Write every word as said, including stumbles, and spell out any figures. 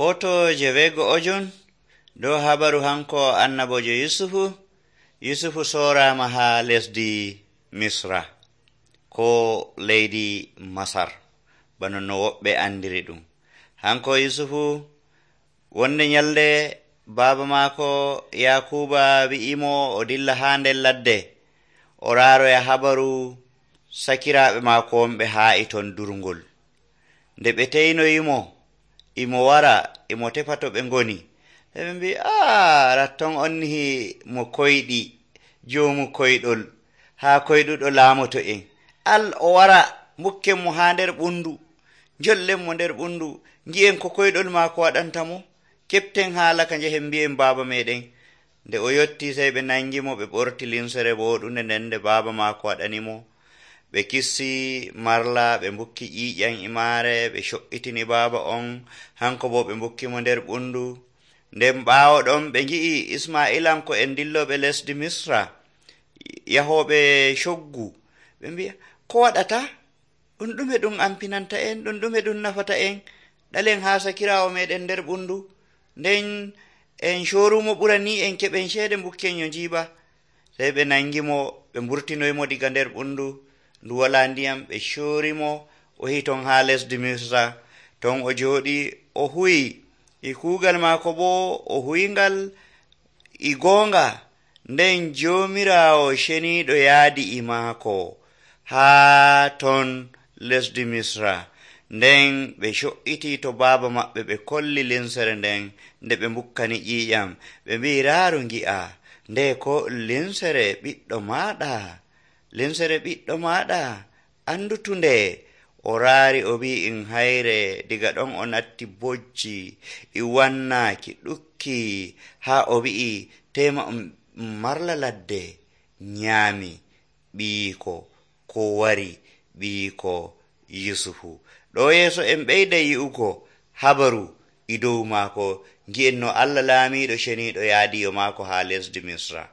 Foto je wego'ojon dow habaru hanko annabojo Yusufu. Yusufu sorama ha lesdi Misra ko leydi Masar bano no woɓɓe andiri ɗum. Hanko Yusufu wonde nyalde baba maako Yakuba wi'imo o dilla ha nder ladde o raroya habaru sakiraaɓe maako wonɓe haa e ton durngol. Nde ɓe teynoyimo imo wara imo tefa to ɓe ngoni, ɓe mbi a ratton onni mo koyɗi joomu koyɗol haa koyɗuɗo laamoto en, al o wara mukken mo haa nder ɓundu, jollen mo nder ɓundu, ngi'en ko koyɗol maako waɗantamo, keɓten haala ka njehen mbi'en baaba meɗen. Nde o yotti sey ɓe nangimo, ɓe ɓorti limsere woɗunde nden nde baaba maako waɗanimo. Ɓe kissi marla, ɓe mbukki ƴiiƴam e maare, ɓe co'itini baaba on, hanko bo ɓe mbukkimo nder ɓundu. Nden ɓaawo ɗon ɓe ngi'i Ismailanko en dilloɓe lesdi Misra yahoɓe coggu, ɓe mbi'a ko waɗata? Ɗum ɗume ɗum ampinanta en? Ɗum ɗume ɗum nafata en? ɗalen haa sakiraawo meɗen nder ɓundu? Nden en corumo ɓurani en keɓen ceede mbukken yo njiiɓa. Sey ɓe nangimo, ɓe mburtinoymo diga nder ɓundu, ndu wala ndiyam, ɓe corimo o yahi ton haa lesdi Misra. Ton o jooɗi o huwi e kuugal maako bo o huyngal e goonga. Nden Joomiraawo ceniiɗo yaadi e maako haa ton lesdi Misra. Nden ɓe co'iti to baaba maɓɓe, ɓe kolli linsere nden nde ɓe mbukkani ƴiiƴam. Ɓe mbi raaru ngi'a nde ko linsere ɓiɗɗo maaɗa, linsere ɓiɗɗo maaɗa, andutunde. O raari o wi in hayre, diga ɗon o natti bojji e wannaaki ɗukki haa o wi'i tema marla ladde nyaami ɓiyiko ko wari ɓiyiko Yusufu. Ɗo yeeso en ɓeyda yi'ugo habaru e dow maako, ngi'en no Allah laamiiɗo ceniiɗo yaadiyo maako haa lesdi Misra.